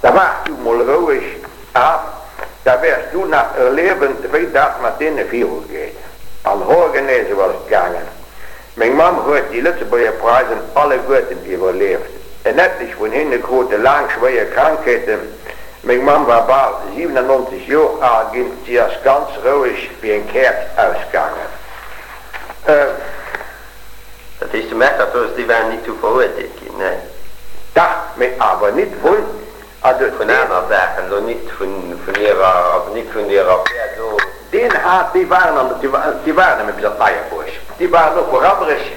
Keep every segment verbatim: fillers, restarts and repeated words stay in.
Da waart du mol roueg af, da wäers du nach erliewen, wéi dat mat deene virugeet. An hoergenee sou ass et gaangen. Meng Mamm huet déi Lëtzebuerger Preisen alleguerten iwwerlieft. En etlech vun hinne krute laang schwéier Krankheeten. Meng Mamm war bal siwenannonzeg Joer al ginn, si ass ganz roueg wéi eng Käerz ausgaangen. Dat heescht, de Mercators, déi waren nit zu verurteelt ginn, nee? Dach, mee awer nit vun, also Vun deen. Aner Saachen, elo nit vun, vun hirer, also nit vun deer Affär do. Deen hat, déi waren an, déi waren nëmme bis an d'Neierbuerg, déi waren och vu Rammerech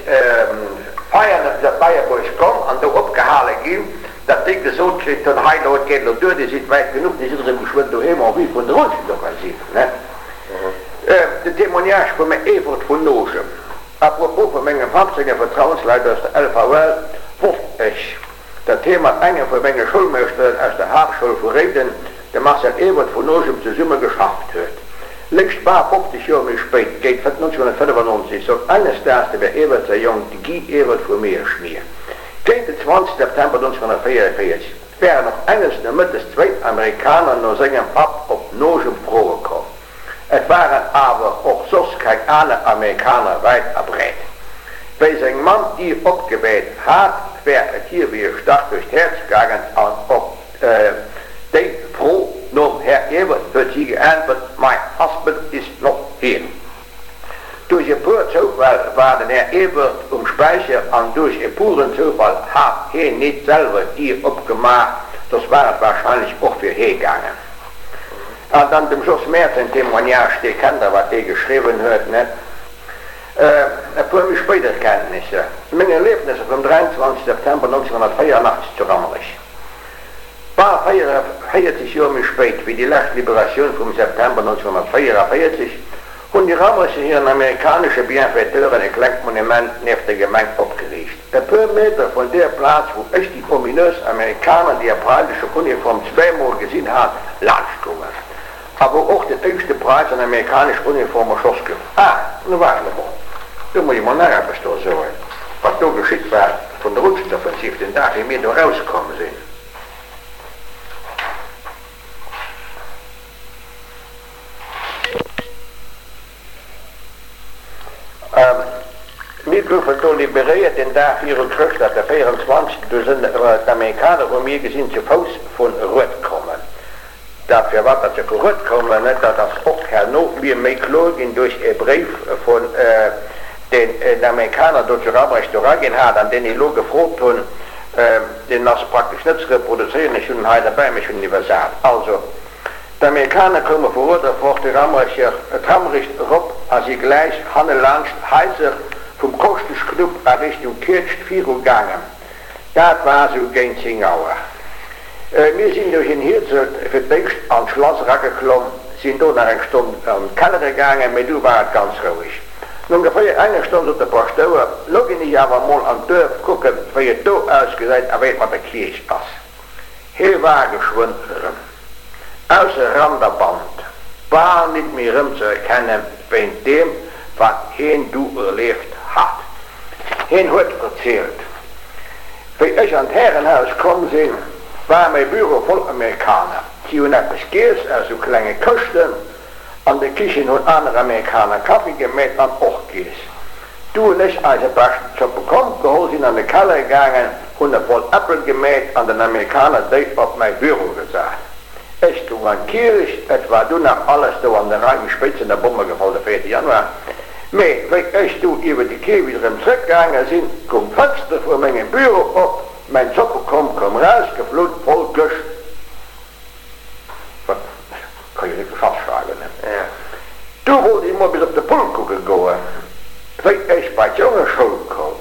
Veianen bis an d'Neierbuerg komm an do opgehale ginn, datt déi gesot kritt hunn, hei elo, et geet elo duer, Dir sidd wäit genuch, Dir sidd erëm geschwënn doheem en vue vun der Rutschenoffensiv, ne? De Témoignage vum Här Ewert vun Nogem à propos vu mengem Papp senge Vertrauensleit aus der L V L wosst ech, datt hie mat engem vu menge Schoulmeeschteren aus der Haaptschoul vu Réiden, dem Marcel Ewert vun Nogem, zesumme geschafft huet. Léischt bal fofzeg Joer méi spéit, géint nonzénhunnertfënnefannonzeg, sot enges Daags dem Här Ewert säi Jong, de Guy Ewert vu Miersch, mir, géint den zwanzeg September nonzénhunnertvéierenvéierzeg wären och enges Nomëttes zwéin Amerikaner no sengem Papp op Nogem froe komm. Et waren awer och soss keng aner Amerikaner wäit a breet. Wéi seng Mamm d'Dier opgemeet hat, wär et hir wéi e Stach duerch d'Häerz gaangen an op déi Fro nom Här Ewert huet si geäntwert, My husband is not here. Duerch e puer Zoufäll war den Här Ewert um Späicher an duerch e puren Zoufall hat heen nit selwer d'Dier opgemaach, soss war et wahrscheinlech och fir hee gaangen. An dann dem Jos Mertz säin Témoignage, dee kennt der, wat dee geschriwwen huet, net? E puer méi spéit Erkenntnisser, Meng Erliefnesser vum dräianzwanzeg September nonzénhunnertvéierunachtzeg zu Rammerich. Bal véierenzéieg Joer méi spéit wéi déi lescht Liberatioun vum September nonzénhunnertvéierenvéierzeg hunn déi Rammerecher hiren amerikanesche Bienfaiteuren e klengt Monument nieft der Gemeng opgeriicht, e puer Meter vun där Plaz, wou ech déi ominös Amerikaner an der preisescher Uniform zweemol gesinn hat, laanschtgoen. A wou och den éischte Preis an amerikanesch Uniform erschoss gouf. Ah, nu waart emol, do muss ech mol nach eppes do soen, wat do geschitt war vun der Rutschenoffensiv, den Dag wéi mir do erauskomm sinn. Mir goufen do liberéiert den Dag viru Chrëschtdag, de véierundzwanzegsten. Do sinn d'Amerikaner, hu mir gesinn, zu Fouss vun Rued kommen. Dat firwat dat se vu Rued koumen, dat ass och herno mir méi kloer ginn duerch e Bréif vun deen den Amerikaner do zu Rammerech do eraginn hat an deen ech elo gefrot hunn. Deen ass praktesch net ze reproduzéieren, ech hunn en hei derbäi, mee ech hunn en iwwersat. Also, d'Amerikaner koume vu Rued erfort de Rammerecher d'Rammerich erop a si gläich hanne laanscht d'Haiser vum Koschteschknupp a Richtung Kietscht viru gaangen. Dat war sou géint zéng Auer. Mir sinn duerch en Hierzelt fir d'éischt an d'Schlass erageklomm, sinn do nach eng Stonn an d'Kellere gaangen, mee du war et ganz roueg. No ongeféier enger Stonn sot de Paschtouer, Lo ginn ech awer emol an d'Duerf kucken, wéi et do ausgesäit a wéi et mat der Kierch ass. Hie war geschwënn erëm ausser Rand a Band, bal nit méi erëmzeerkennen, wéint deem, wat hien du erlieft hat. Hien huet verzielt, Wéi ech an d'Härenhaus komm sinn, war mäi Büro voll Amerikaner. Si hunn eppes giess aus sou klenge Këschten. An der Kichen hunn aner Amerikaner Kaffi gemeet an och giess. Du hunn ech eise beschten Zoppekomp geholl, sinn an de Keller gaangen, hunn e voll Äppel gemeet an den Amerikaner déi op mäi Büro gesat. Ech goung an d'Kierch, et war du nach alles do an der Rei, méi spéit sinn der Bomme gefall, de véierte Januar. Mee wéi ech du iwwer de Kierfecht erëm zrëckgaange sinn, koum d'Fënster vu mengem Büro op, mäin Zoppekomp koum rausgeflunn, voll Gëscht. Wat ka jo net geschafft schreiwen, ne? Du wollt ech mol bis op de Pult kucke goen. Wéi ech bei d'Jongeschoul koum,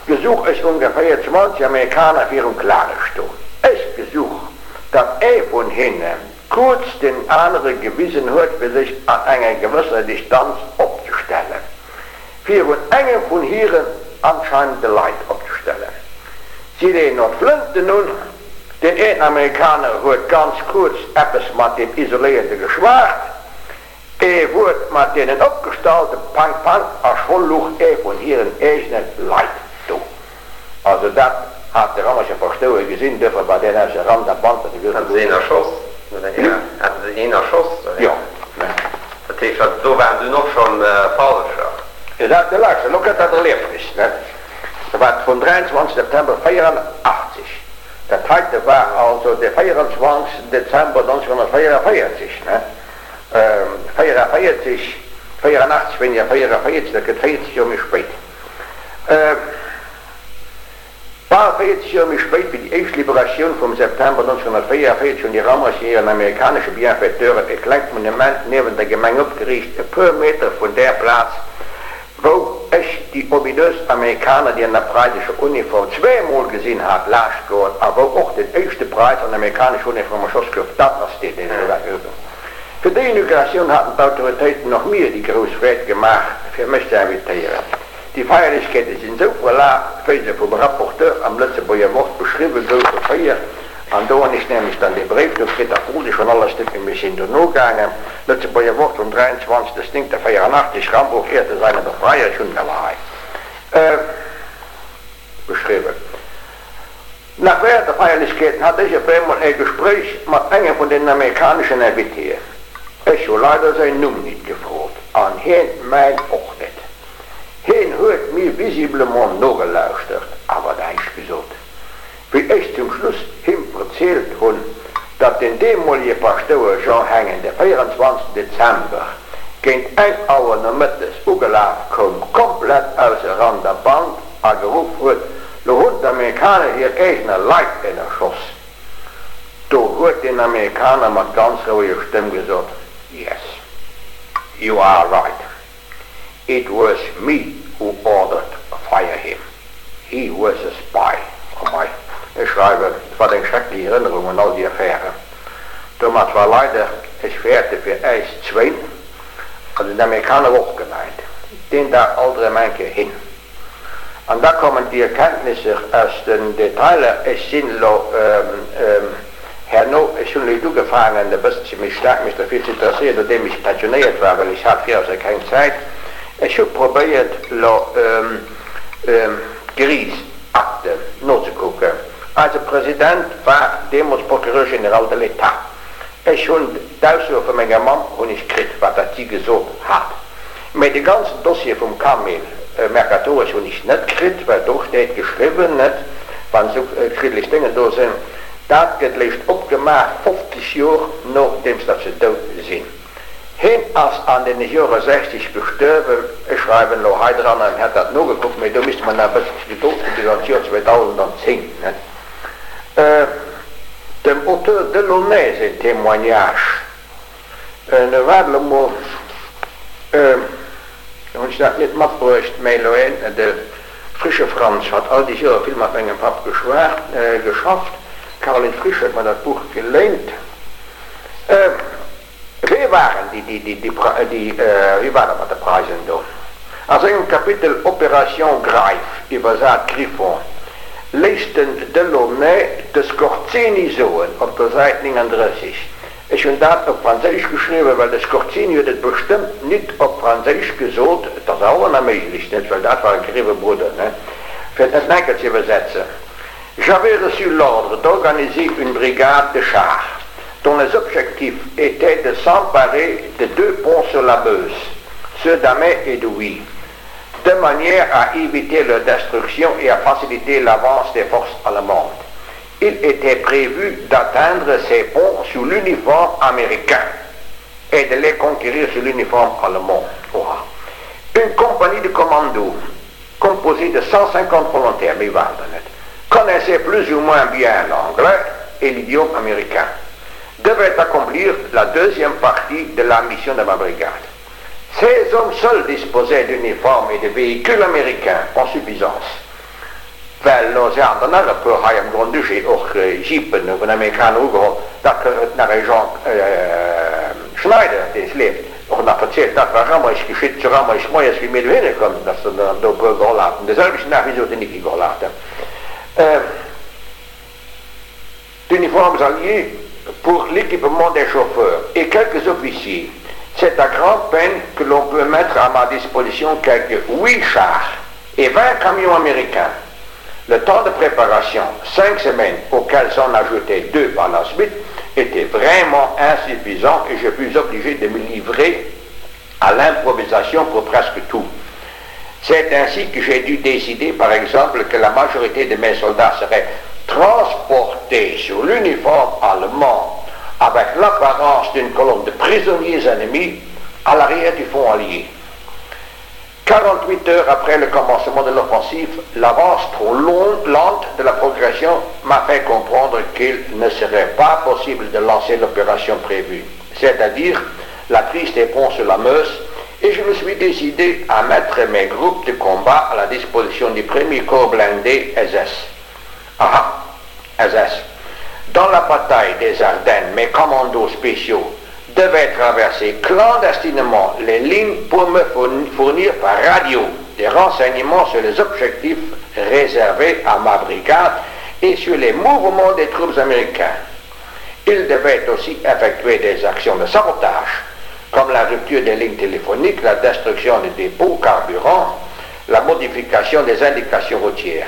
gesouch ech ongeféier zwanzeg Amerikaner virum Klare stoen. Ech gesouch, datt ee vun hinne kuerz deenen anere gewisen huet, fir sech an enger gewëssener Distanz opzestellen, virun engem vun hiren anscheinende Leit opzestellen. Si leeën och d'Flënten un. Deen een Amerikaner huet ganz kuerz eppes mat deem Isoléierte geschwat, ee Wuert mat deenen Opgestallte, pang, pang, a scho luch ee vun hiren eegene Leit do. Also dat Hat de Rammerscher Paschtouer gesinn, duerfir war deen ausser Rand a Band, dat e Haten se een erschoss? Haten se een erschoss? Jo. Dat heescht, dat do waren dunn och schonn Falscher? Jo, dat, lauschter, elo kënnt dat Erliefnis, ne? Dat war vum dräianzwanzeg September véierunachtzeg. Dat heite war also de véierundzwanzegsten Dezember nonzénhonnertvéierevéierzeg, ne? Véierevéierzeg, véierunachtzeg, wéini véierevéierzeg, dat gëtt véierzeg Joer méi spéit. Bal véierzeg Joer méi spéit wéi déi éischt Liberatioun vum September nonzénhonnertvéierevéierzeg hunn déi Rammercher hiren amerikanesche Bienfaiteuren e klengt Monument niewent der Gemeng opgeriicht, e puer Meter vun där Plaz, wou ech déi ominös Amerikaner, déi an der preisescher Uniform zweemol gesinn hat, laascht goen a wou och den éischte Preis an amerikanescher Uniform erschoss gouf. Dat ass deen, deen ech elo grad. Fir déi Inauguratioun haten d'Autoritéiten och mir déi grouss Freed gemaach, fir mech ze invitéieren. Déi Feierlechkeete sinn esou verlaf, wéi se vum Rapporteur am Lëtzebuerger Wort beschriwwe goufe, véier An do hunn ech nämlech dann dee Bréif do kritt, dat krut ech schonn alles net méi, mir sinn dono gaangen, Lëtzebuerger Wort vum dräianzwanzigsten néngten véierunachtzig, Rambourg ehrte seine Befreier, ech hunn en awer hei beschriwwen. Nach während de Feierlechkeeten hat ech op eemol e Gespréich mat engem vun deenen amerikaneschen Invitéen. Ech hu leider säin Numm nit gefrot an hien mäin och net. Hien huet mir visiblement nogelauschtert, awer näischt gesot. Wéi ech zum Schluss him verzielt hunn, datt den deemolige Paschtouer Jean Hengen de véierundzwanzigsten Dezember géint eng Auer nomëttes ugelaf koum, komplett ausser Rand a Band, a geruff huet, Lo hunn d'Amerikaner hir eegener Leit ënnerschoss! Do huet deen Amerikaner mat ganz roueger Stëmm gesot, Yes, you are right. It was me who ordered fire him. He was a spy. Oh mei, ech schreiwen, wat eng schrecklech Erënnerung un all déi Affären. Domat war leider, ech fäerte fir äis zwéin, an den Amerikaner och gemeint, deen Dag alt erëm eng Kéier hin. An da kommen déi Erkenntnisser aus den Detailer. Ech sinn elo herno, ech hunn elo ugefaangen e bësselche méi staark mech derfir ze interesséieren, nodeem ech pensionéiert war, well ech hat virauser keng Zäit. Ech hu probéiert elo d'Geriichtsakten nozekucken. Eise President war deemools Procureur général de l'État. Ech hunn d'Aussoe vu menger Mamm hunn ech kritt, wat dat si gesot hat. Mä de ganzen Dossier vum Camille Mercatoris hunn ech net kritt, well do steet geschriwwen, net, wann esou kriddeleg Déngen do sinn, dat gëtt léischt opgemaach fofzeg Jor nodeems datt se dout sinn. Heen ass an deene Jore sechzeg gestuerwen. Ech schreiwen elo hei dran, en hätt dat nogekuckt, mä do misste mer nach e bësselche Gedold hu bis an d'Jor zweedausendenzéng, net? Dem Auteur Delaunay säin Témoignage, waart elo mol, do hunn ech dat net matbruecht, mä elo een, de Frische Franz hat all déi Jore vill mat mengem Papp geschwat, geschafft, d'Caroline Frisch huet mer dat Buch geléint. Wee waren déi, déi, déi, déi, wéi war dat mat de Preisen do? A sengem Kapitel Opération Greif, iwwersat Griffon, léisst den Delaunay de Skorzeny soen, op der Säit néngandrësseg, Ech hunn dat op Franséisch geschriwwen, well de Skorzeny huet et bestëmmt nit op Franséisch gesot, et ass awer nach méiglech, net, well dat war e griwe Brudder, ne, fir et net enker ze iwwersetzen. J'avais reçu l'ordre d'organiser une brigade de chars dont les objectifs étaient de s'emparer de deux ponts sur la Meuse, ceux d'Amay et de Huy, de manière à éviter leur destruction et à faciliter l'avance des forces allemandes. Il était prévu d'atteindre ces ponts sous l'uniforme américain et de les conquérir sous l'uniforme allemand. Oha. Une compagnie de commando composée de cent cinquante volontaires, méi waren der net, connaissait plus ou moins bien l'anglais et l'idiome américain, devait accomplir la deuxième partie de la mission de ma brigade. Ces hommes seuls disposaient d'uniformes et de véhicules américains en suffisance, well lo se haten der nach e puer hei am Grand-Duché och Jeepen vun Amerikaner ugeholl, dat huet nach e Jean Schneider, dee leeft, och nach verzielt, dat war Rammerich geschitt, zu Rammerich moies wéi mir dohinne koumen, datt se der do e puer geholl haten, de selwechten Dag wéi se och den Niki geholl haten. D'uniformes alliées pour l'équipement des chauffeurs et quelques officiers. C'est à grande peine que l'on peut mettre à ma disposition quelques huit chars et vingt camions américains. Le temps de préparation, cinq semaines auxquelles s'en ajoutaient deux par la suite, était vraiment insuffisant et je fus obligé de me livrer à l'improvisation pour presque tout. C'est ainsi que j'ai dû décider, par exemple, que la majorité de mes soldats seraient transportés sur l'uniforme allemand avec l'apparence d'une colonne de prisonniers ennemis à l'arrière du front allié. quarante-huit heures après le commencement de l'offensive, l'avance trop longue, lente de la progression m'a fait comprendre qu'il ne serait pas possible de lancer l'opération prévue, c'est-à-dire la prise des ponts sur la Meuse, et je me suis décidé à mettre mes groupes de combat à la disposition du premier corps blindé S S. Aha, S S. Dans la bataille des Ardennes, mes commandos spéciaux devaient traverser clandestinement les lignes pour me fournir par radio des renseignements sur les objectifs réservés à ma brigade et sur les mouvements des troupes américaines. Ils devaient aussi effectuer des actions de sabotage, comme la rupture des lignes téléphoniques, la destruction des dépôts carburants, la modification des indications routières.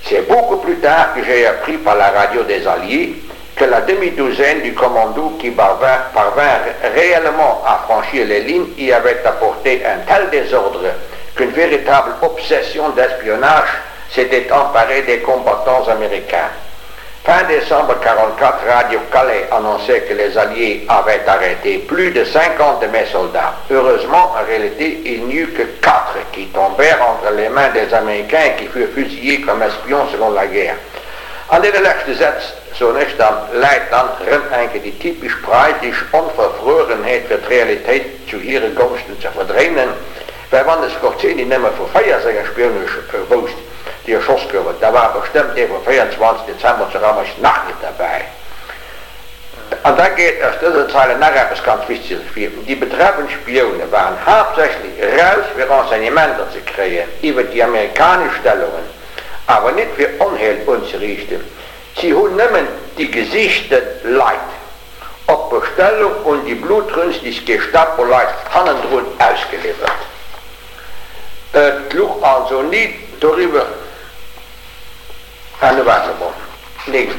C'est beaucoup plus tard que j'ai appris par la radio des Alliés que la demi-douzaine du commando qui parvint, parvint réellement à franchir les lignes y avait apporté un tel désordre qu'une véritable obsession d'espionnage s'était emparée des combattants américains. Fin décembre quarante-quatre, Radio Calais annonçait que les Alliés avaient arrêté plus de cinquante de mes soldats. Heureusement, en réalité, il n'y eut que quatre qui tombèrent entre les mains des Américains et qui furent fusillés comme espions selon la guerre. An deene leschte Sätz, soen ech dann, läit dann rëm enke déi typesch preisisch Onverfrörenheet fir d'Realitéit zu hire Gonschten ze verdréinen, well wann de Skorzeny nëmme vu véier senger Spioune wousst, déi erschoss gouwen, da war bestëmmt dee vum véierundzwanzeg Dezember zu Rammerich nach net derbäi. An da geet aus dëser Zeile nach eppes ganz Wichteges ervir, Déi betreffend Spioune waren haaptsächlech eraus fir Renseignementer ze kréien iwwer déi amerikanesch Stellungen, awer net fir Onheel unzeriichten. Si hunn nëmmen déi gesichte Leit op Bestellung un déi blutrünstig Gestapo-Leit hannendrun ausgeliwwert. Et luch also ni doriwwer. Ah, nu waart emol. Neen.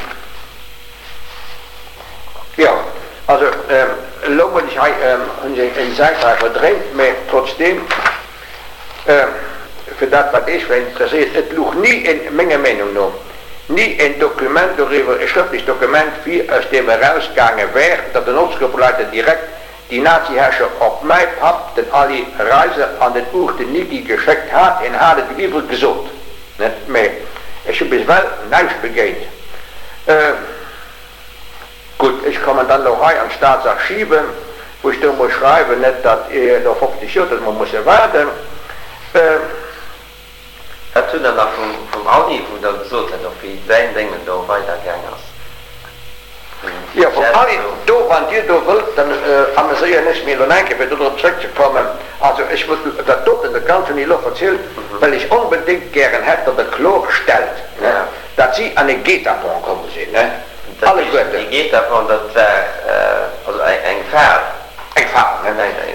Jo, also elo muss ech hei, hunn ech eng Säit hei verdréint, mä trotzdeem, fir dat wat Iech vläicht interesséiert, et luch ni en, menger Meenung no, ni en Dokument doriwwer, e schrëftlecht Dokument vir, aus deem erausgaange wär, datt den Ortsgruppenleiter direkt déi Nazi-Herrscher op mäi Papp, den Aly Reiser, an den Uchte Nicki geschéckt hat. Hien hat et iwwer gesot, net, mä ech hu bis ewell näischt begéint. Gutt, ech kommen dann elo hei an d'Staatsarchiven, wou ech do muss schreiwen, net datt elo fofzeg Joer, datt mer musse waarden. Wat hutt Der nach vum Aly, wou Der gesot hutt, och wéi säin Déngen do weidergaang ass? Jo, vum Aly, do, wann Dir do wëllt, dann ameséieren ech mir elo nach eng Kéier, fir do drop zrëckzekommen. Also ech muss dat doten, dat Ganzt hunn ech elo verzielt, well ech onbedéngt gären hätt, datt Der klorstellt, datt si an e Guet-apens komm sinn, alleguerten. Dee Guet-apens, dat war also eng Fal. Eng Fal, ne?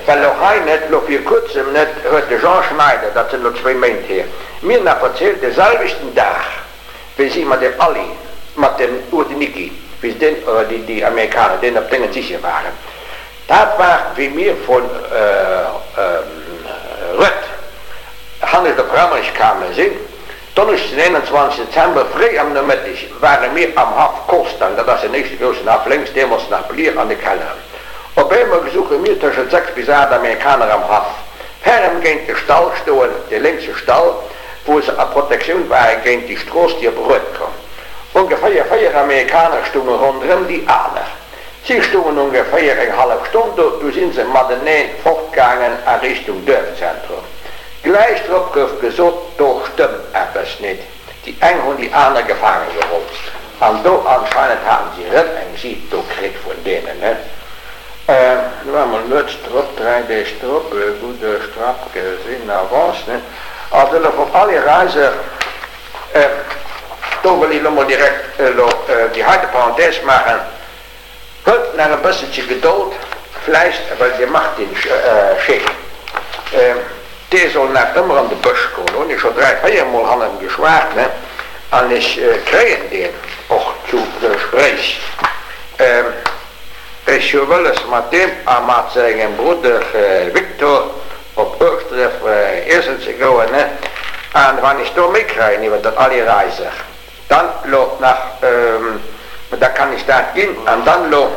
Well elo hei net, elo vir kuerzem net, huet de Jean Schneider, dat sinn elo zwéi Méint hier, mir nach verzielt, de selwechten Dag, wéi si mat dem Aly, mat dem Urdniki, wéi se deen, oder déi, déi Amerikaner deen op Déngen siche waren, dat war, wéi mir vu Rued hannescht op Rammerich kame sinn, Donneschdes den eenanzwanzeg Dezember, fréi am Nomëtteg, ware mir am Haff Kostang, dat ass den éischte groussen Haff lénks, deemools nach Blier an de Kelleren. Op eemol gesouche mir tëschent sechs bis aacht Amerikaner am Haff ferm géint de Stall stoen, dee lénkse Stall, wou se a Protektioun ware géint déi Strooss, déi op Rued koum. Ongeféier véier Amerikaner stounge ronderëm déi aner. Si stoungen ongeféier eng hallef Stonn do, du si se matenee fortgaangen a Richtung Duerfzentrum. Gläich drop gouf gesot, do stëmmt eppes nit, déi eng hunn déi aner gefaange geholl. An do anscheinend haten si rëm eng Jeep do kritt vun deenen, ne? Du war mol nuets drop, dräi Deeg drop, e gudde Strapp gesinn, Avance, ne? Also elo vum Aly Reiser, do wëll ech elo mol direkt elo déi heite Parenthèse maachen, Huelt nach e bësselche Gedold, vläicht, well de Martin Scheeck, dee soll nach ëmmer an de Bësch goen, do hunn ech scho dräi, véier Mol hannen geschwat, ne? An ech kréien deen och zu Gespréich. Ech hu wëlles mat deem a mat sengem Brudder Victor op Ueschdref iessen ze goen, an wann ech do méi kréien iwwer den Aly Reiser, dann lo nach, da kann ech dat ginn, an dann lo.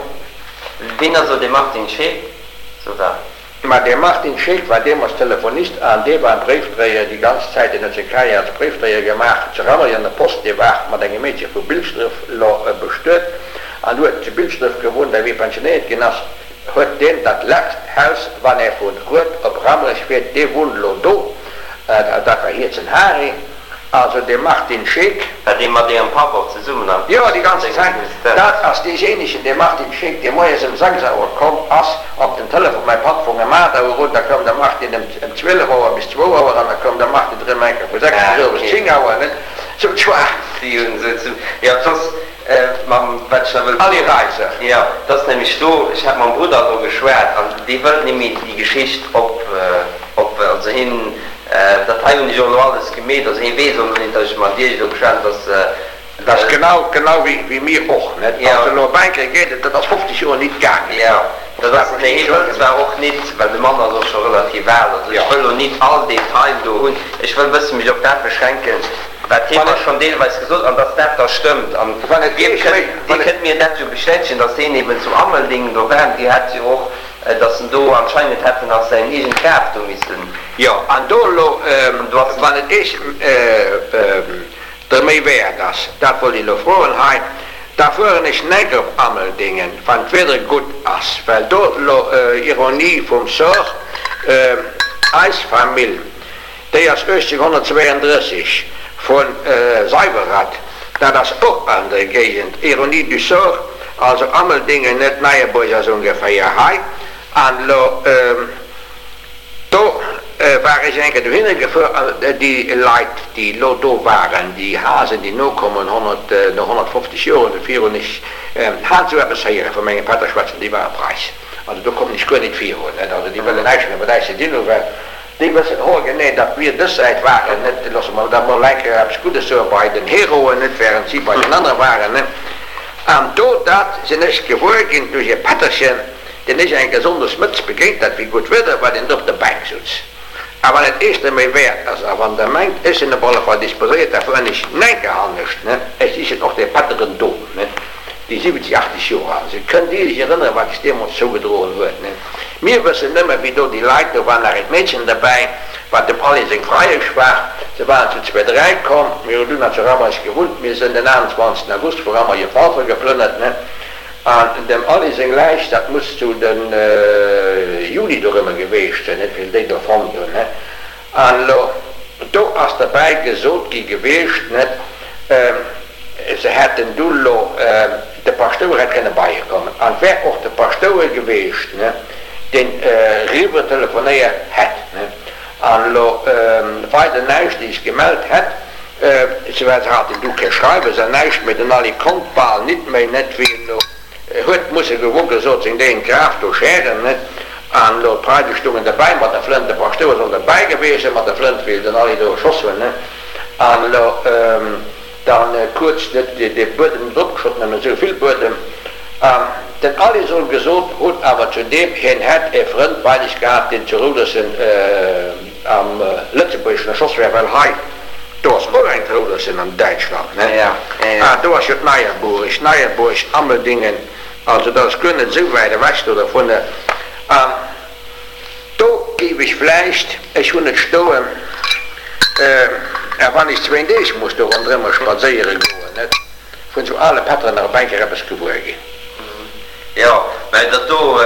Ween ass elo dee Martin Scheeck? Sot Der. Ma dee Martin Scheeck war deemools Telefonist an dee war Bréifdréier déi ganz Zäit. Deen huet seng Karriär als Bréifdréier gemaach zu Rammerich an der Post. Dee war mat engem Meedche vu Bilschdref lo bestuet an huet zu Bilschdref gewunnt. A wéi e pensionéiert ginn ass, huet deen dat lescht Haus, wann ee vu Rued op Rammerich fiert, dee wunnt lo do, dat war Hierzen Hari. Also de Martin Scheeck. War dee mat Ärem Papp och zesummen am Jo, déi ganze Zäit. Dat ass deejéinegen, dee Martin Scheeck, dee moies ëm sechs Auer komm ass op den Telefon. Mäi Papp fong ëm aacht Auer un, da koum de Martin ëm ëm zwielef Auer bis zwou Auer an da koum de Martin erëm eng Kéier vu sechs bis owes zéng Auer, net? Sou zwar. Si hunn esou zu, jo, soss mam, wat ech nach wëllt Ali soen, Reiser. jo, 't ass nämlech do, ech hat mam Brudder elo geschwat an dee wëllt némmi déi Geschicht op, op, also hien, Dat hei hunn ech och elo alles gemeet. Also hie weess och elo net, datt ech mat Iech elo geschwat hunn, datt. Dat ass genau, genau wéi mir och, net? Also elo op eng Kéier geet et, dat ass fofzeg Joer nit gaangen. Jo, dat ass, mee hie wëllt zwar och nit, well de Mann ass och scho relativ al, also ech wëll elo nit all Detail do hunn, ech wëll e bësse mech op dat beschränken, wat hie mer schonn deelweis gesot an datt dat da stëmmt. An Dir kënnt, Dir kënnt mir dat jo bestätegen, datt hien eben zu Ammeldeng do war. Dir hat jo och Dass en do anscheinend hätt en nach säin eegent Graf do missen. Jo, an do elo, wann et Iech der Méi wäert ass, dat wollt ech elo froen hei, da fueren ech nek op Ammeldingen, wann d'Wieder gutt ass, well do elo, Ironie vum Sort, eis Famill, déi ass uechtzénghonnertzweeëndrësseg vu Seiwerath, dat ass och an der Géigend, Ironie du sort, Also Ammeldingen, net Neiebourg ass ongeféier hei. An elo do war ech eng Kéier dohinner gefuer an déi Leit, déi elo do waren, déi Hasen, déi nokommen, honnert, no honnertfofzeg Joer oder virun, ech hat esou eppes héiere vu mengem Pätter schwätzen, déi ware Preis. Also do kommen ech guer nit virun, net. Also déi wëllen näischt méi mat äis ze dinn hunn, well Déi wëssen hoergenee, datt mir dës Säit waren, net, loosse mer da mol eng Kéier eppes Guddes soen, bei den Heroen, net, während si bei den anere waren, net. An do, dat sinn ech gewuer ginn duerch e Pätterchen, deen ech eng Kéier sonndes mëttes begéint hat, wéi gutt Wieder war, deen do op der Bänk sutz. A wann et Iech net méi wäert ass, a wann Der mengt, ech sinn op alle Fall disposéiert, da fueren ech enke hannescht, net, ech sichen och dee Pätteren do, net, déi siwwenzeg, achtzeg Joer al sinn. Kënnt Dir Iech erënneren, wat sech deemools zougedroen huet, net? Mir wëssen nëmme, wéi do déi Leit, do war nach eent Meedchen derbäi, wat dem Aly seng Freiesch war, se waren zu zwee, dräi komm, mir hunn dunn nach zu Rammerich gewunnt, mir sënn den aachtundzwanzegsten August vu Rammerich op Walfer geplënnert, ne, an dem Aly seng Läich, dat muss zu de Juli dorëmmer geweecht sinn, net, wéi se déi do fonnt hunn, ne, an elo do ass derbäi gesot gi geweecht, net, Se hätten du lo, de Paschtouer hätt kënne bei hie kommen, an et wär och de Paschtouer geweecht, deen eriwwer telefonéiert hätt, an elo weider näischt, déi sech gemellt hätt. Se war, se haten du kee Schreiwes an näischt méi, den Aly konnt bal nit méi, net wéi en elo huet musse gewo gesot seng déi en d'Graf do schären, net, an elo d'Preise stungen derbäi mat der Flënt, de Paschtouer soll derbäi geweecht sinn mat der Flënt, wéi den Aly do erschoss hunn, an elo. Dann kuerz net dee Buedem net opgeschott, nëmmen esou vill Buedem. An den Aly soll gesot hunn awer zu deem, hien hätt e Frënd bei sech gehat, deen zu Roudersen am Lëtzebuergeschen erschoss wär, well hei, do ass och eng Roudersen an Däitschland, ne? Ah, do ass jo d'Neierbuerg, Neierbuerg, Ammeldingen, also dat ass guer net esou wäit ewech do dovunner. An. Do géif ech vläicht, ech hunn et stoen, a wann ech zwéin Deeg muss do ronderëmmer spadséiere goen, net vun sou ale Pätteren nach op eng Kéier eppes gewuer ginn. Jo, mä dat do,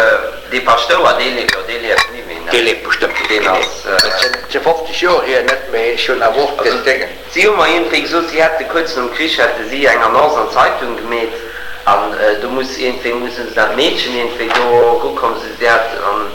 dee Paschtouer, dee leeft, jo, dee lieft ni méi, ne? Dee leeft bestëmmt net Deen méi, ass. Dat sinn, dat si fofzeg Joer hier, net méi. Ech hunn awer och Also, den Déngen. si hu mer iergendwéi gesot, si hätte kuerz nom Krich hätte si eng Annonce an d'Zeitung gemeet an do muss iergendwéi, musse se dat Meedchen iergendwéi do erukomm, si hat an.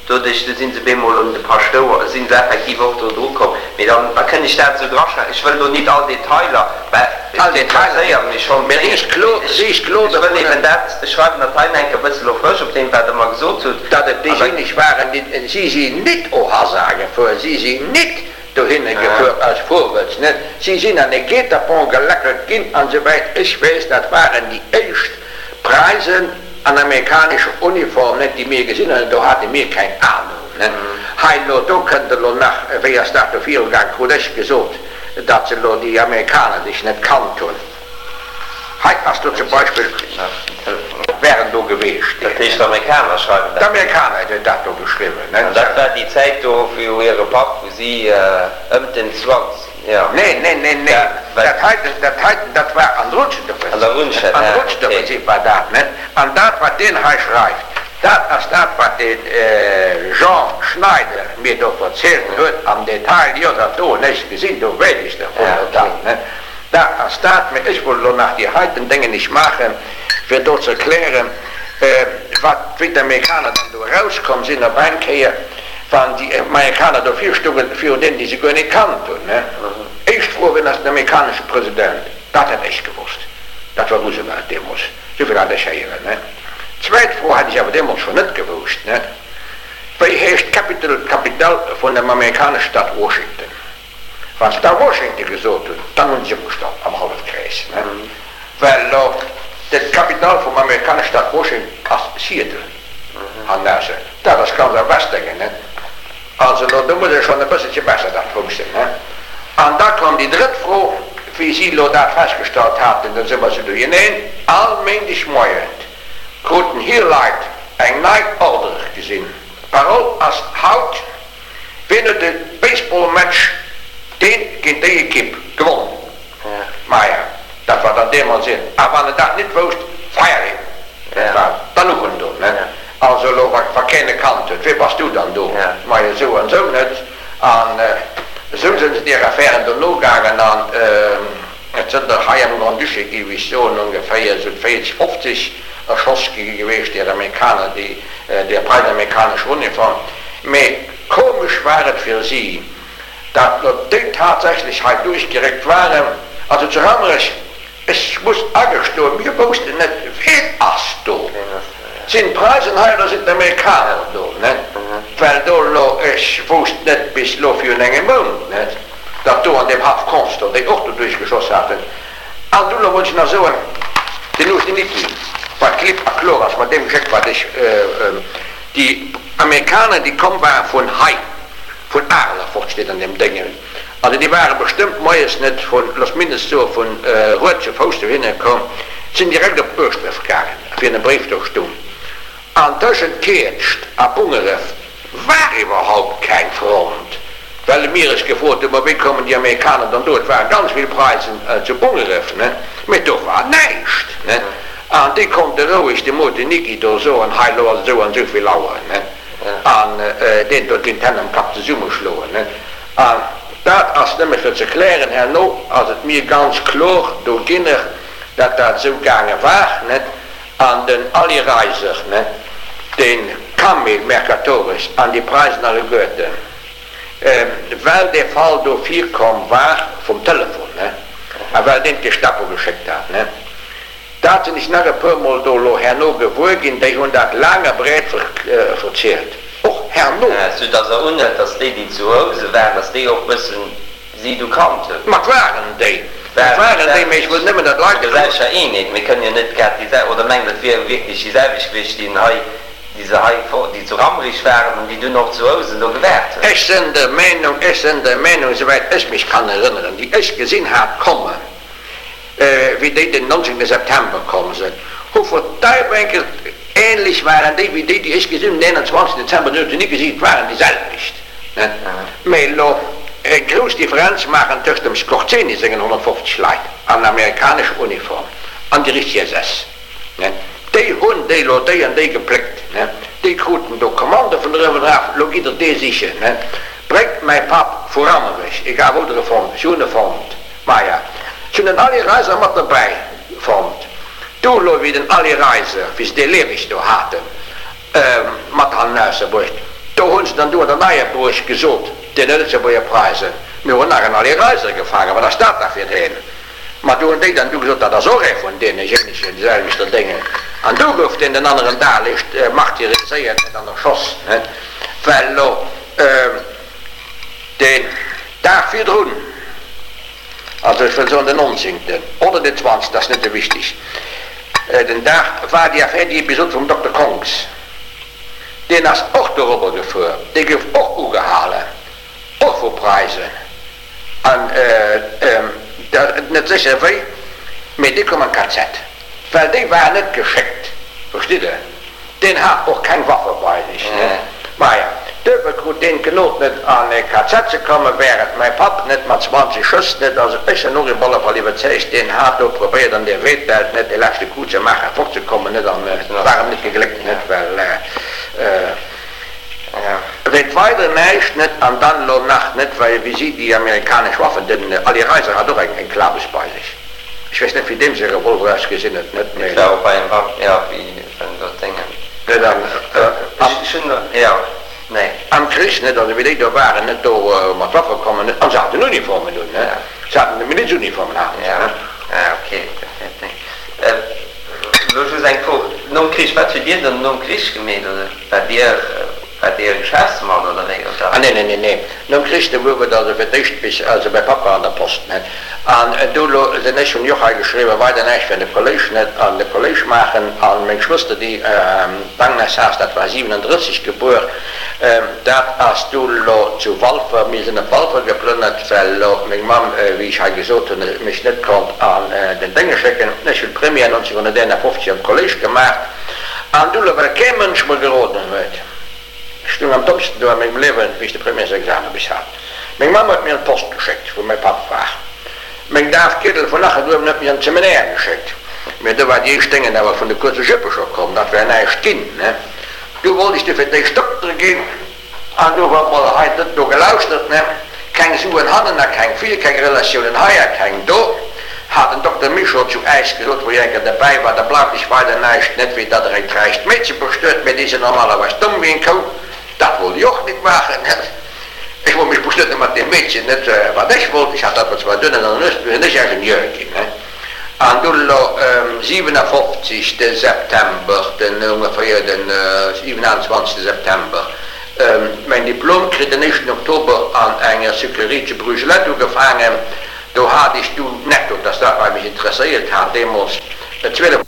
Doduerch, du sinn se bemol un de Paschtouer, sinn se effektiv och do dru komm. Mee dann, da kënnt ech dat esou draschreiwen. Ech wëll do nit all Detailer, well All et Detailer interesséiert nit, mech schonn, mee mee riicht klo, ech, riicht klo ech wëll dovunner. eben dat, ech schreiwen dat hei enk e bësse lo frësch op deem, wat Der mer gesot hutt. Datt et An da. déijéineg waren, déi, si sinn nit au hasard gefuer, si sinn nit dohinner gefuer aus Vorwëtz, net? Si sinn an e Guet-apens gelackelt ginn, an souwäit ech weess, dat waren déi éischt Preisen an amerikanescher Uniform, net, déi mir gesinn hunn, do hate mir keng Ahnung, net? Hei elo, do kënnt elo nach, wéi ass dat do virugaang, krut ech gesot, datt se elo déi Amerikaner sech net kannt hunn. Hei ass do zum Beispill, wären do geweecht. Dat heescht, d'Amerikaner schreiwen dat? D'Amerikaner hunn dat do geschriwwen. An dat war déi Zäit do, wou hire Papp, wou si ëm den zwanzeg, jo. Neen, neen, neen, neen, dat heiten, dat heiten, dat war an der Rutschenoffensiv. An der Rutschen, An der Rutschenoffensiv war dat, net? An dat, wat deen hei schreift, dat ass dat, wat de Jean Schneider mir do verzielt huet am Detail. Jo, dat do hunn ech gesinn, do weess ech dervun, dat, net? Dat ass dat, mee ech wollt elo nach déi heiten Déngen nicht maachen, fir do ze erklären, wat, wéi d'Amerikaner dann do erauskomm sinn op eng Kéier, wann déi Amerikaner do virstoungen, virun deenen, déi se guer net kannt hunn. Éischt Fro, Wien ass den amerikanesche President? Dat hätt ech gewosst, dat war Roosevelt deemools, souvill hat ech héieren. Zweet Fro hätt ech awer deemools schonn net gewousst, Wéi heescht d'Capital, d'Capitale vun dem amerikanesche Staat Washington? Wann se da Washington gesot hunn, dann hunn se sech opgestallt am Hallefkrees, ne? Well lo d'Capital vum amerikanesche Staat Washington ass Seattle, an dat ass ganz am Westdéngen, ne? Also lo, do muss ee schonn e bësselche besser dat woussen, ne? An da koum déi drëtt Fro, wéi si lo dat festgestallt haten, da si mer sou duerjerneen, all Méindeg Moien kruten hir Leit eng nei Ordre gesinn, D'Parole ass haut, Wien huet de Baseballmatch deen géint déi Ekipp gewonnen? Maja, dat war dann deemools een. A wann en dat nit wousst, fire him! Dat war dann och en do, ne? Also elo, wa wa keen e kannt huet, wee bass du dann do? Maja, esou an esou, net? An esou sinn se deer Affären do nogaangen an et sënn der hei am Grand-Duché, géif ech soen, ongeféier esou véierzeg, fofzeg erschoss gi geweecht, deer Amerikaner, déi deer preisamerikanescher Uniform. Mee komesch war et fir si, dat no déi tatsächlech hei duerchgeréckt waren, also zu Rammerech, ech muss agestoen, mir woussten net, ween ass do, sinn d'Preisen hei oder sinn d'Amerikaner do, net? Well do elo, ech wousst net bis elo virun engem Mount net, datt do an deem Haff Constant déi och do duerchgeschoss haten. An du elo wollt ech nach soen, den Uschniki, wat klipp a kloer ass mat deem Geschéck, wat ech, Déi Amerikaner, déi komm ware vun hei, vun Areler fort, steet an deem Déngen, also déi ware bestëmmt moies net vun, looss mindest soe vun Rued zu Fouss dohinner komm, sinn direkt op Ueschdref gaangen, wéi en Bréif do stung. An tëschent Kietscht a Bungeref war iwwerhaupt keng Front, well mir eis gefrot hunn, ma wéi kommen déi Amerikaner dann do? Et ware ganz vill Preisen zu Bungeref, ne, mee do war näischt, ne. An déi konnte roueg dem Mot Nicki do soen, hei elo ass et esou an esou vill Auer, ne? An deen do ginn d'Hänn am Kapp zesummeschloen, ne? An dat ass nëmme fir ze klären, herno ass et mir ganz klor do ginner, dat dat esou gaange war, ne? An den Aly Reiser, ne, de Camille Mercatoris an déi Preisen alleguerten, well dee Fall do virkomm war vum Telefon, ne, a well deen d'Gestapo geschéckt hat, ne? Dat sinn ech nach e puer Mol do elo herno gewuer ginn, déi hunn dat laang a breet verzielt, och herno. Sou dass Der unhëlt, dass déi, déi zu Housen waren, dass déi och bëssen si du kannt hunn. Ma 't waren déi, et waren déi, mee ech wëll nëmmen, datt d'Leit. Selcher Eenheet, mir kënnen jo net grad déi sel, oder mengt Der, et wier wierklech déi selwecht gewiescht, déi hei, déi se hei, déi zu Rammerich waren an déi dunn och zu Housen do gewaart hunn? Ech sinn der Meenung, ech sinn der Meenung, souwäit ech mech kann erënneren, déi ech gesinn hat kommen, wéi déi den nonzéngte September komm sënn, hu verdeibengelt, ähnlech waren déi wéi déi, déi ech gesinn hunn den eenanzwanzegsten Dezember, déi hunn se ni gesinn, et waren déi selwecht, net? Mee elo eng grouss Differenz maachen tëscht dem Skorzeny sengen honnertfofzeg Leit an amerikanescher Uniform an déi richteg S S, net? Déi hunn déi elo déi an déi gepléckt, net? Déi kruten do Kommando vun uewen eraf, elo gitt der dee sichen, net? Bréngt mäi Papp vu Rammerech, egal wou der e fonnt, ech hunn e fonnt. Maja, ech hunn den Aly Reiser mat derbäi fonnt. Du elo, wéi den Aly Reiser, wéi se dee lieweg do haten, mat hannen ausebruecht, do hunn se dann du an der Neier Buerg gesot, deene Lëtzebuerger Preisen, mir hunn nach en Aly Reiser gefaangen, wat ass dat da fir een? Ma du hunn déi dann du gesot, dat ass och ee vun deene jénegen selwechter Dénge. An du gouf deen den aneren Dag liicht martyriséiert an erschoss, well elo deen. Dag virdrun, also ech wëll soen den nonzéngten oder den zwanzegsten, ass net esou wichteg, den Dag war déi Affär, déi Episod vum Dokter Kongs, deen ass och dorobber gefuer, dee gouf och ugehalen, och vu Preisen, an net sécher wéi, mee dee koum an d'K Z, well déi waren net geschéckt, verstitt Der. Deen hat och keng Waffe bei sech, ne? Maja, duerfir krut deen d'Genod net an e K Z ze kommen, während mäi Papp net mat zwanzeg Schëss net, also ech sen och op alle Fall iwwerzeegt, deen hat do probéiert an der Weedwelt net de leschte Coup ze maachen, fortzekommen, net, an et war em net gegléckt, net, well weet weider näischt, net, an dann elo nach net, well wéi si déi amerikanesch Waffen, den Ali Reiser hat och eng Klabes bei sech. Ech weess net wéi deem säi Revolver ausgesinn huet, net méi. Et war och bei engem Wapp, jo, wéi en do d'Déngen. Net an, Ech hunn, jo, nee. Am Krich, net, also wéi déi do waren, net do mat Waffe kommen, net, an se haten Uniformen un, ne, se haten Milizuniformen haten se, ne. Ja, ok, dat wär d'Déng. Elo just eng Fro, nom Krich, wat hutt Dir dann nom Krich gemeet, oder waart Dir, waart Dir e Geschäftsmann oder wéi, oder? Ah nee, nee, nee, nee, nom Krich, do gouf et also fir d'éischt bis, also mäi Papp war an der Post, net, an du lo sinn ech, hunn ech och hei geschriwwen, weider näischt fir de Kolléisch, net, an de Kolléisch maachen, an meng Schwëster, déi, d'Agnes Haas, dat war siwenendrësseg gebuer, dat ass du lo zu Walfer, mir sinn op Walfer geplënnert, well lo meng Mamm, wéi ech hei gesot hunn, mech net konnt an den Dénge schécken. Ech hunn d'Première nonzénhunnerteenafofzeg am Kolléisch gemaacht, an du lo, well kee Mënsch mer geroden huet, ech stung am dommsten do a mengem Liewen, wéi ech de Premièresexamen bis hat. Meng Mamm huet mir an d'Post geschéckt, wou mäi Papp war. Meng Daf Giedel vun Nacheduerwen huet mech an d'Seminaire geschéckt. Mä do war déi éischt Déngen awer vun de kuerze Jüppe scho komm, dat wär näischt ginn, ne? Du wollt ech du fir d'éischt Dokter ginn, an du war mol hei net no gelauschtert, ne? Keng Suen hannen a keng vir, keng Relatiounen hei a keng do, hat den Dokter Michaud zu äis gesot, wou ech eng Kéier derbäi war, da bleift iech weider näischt, net wéi datt der eng räicht Meedche bestuet, mä déi sinn normalerweis domm wéi eng Kou. Dat wollt ech och nit maachen, net? Ech wollt mech bestueden mat deem Meedchen, net wat ech wollt. Ech hat dat zwar duerno an der Nues, du sinn ech Ingenieur ginn, ne? An du elo siwenafofzeg de September, den ongeféier den siwenanzwanzegste September, mäin Diplom kritt, den éischten Oktober an enger Sucrerie zu Brugelette ugefaangen. Do hat ech du netto, dass dat wat mech interesséiert hat deemools, zwielef.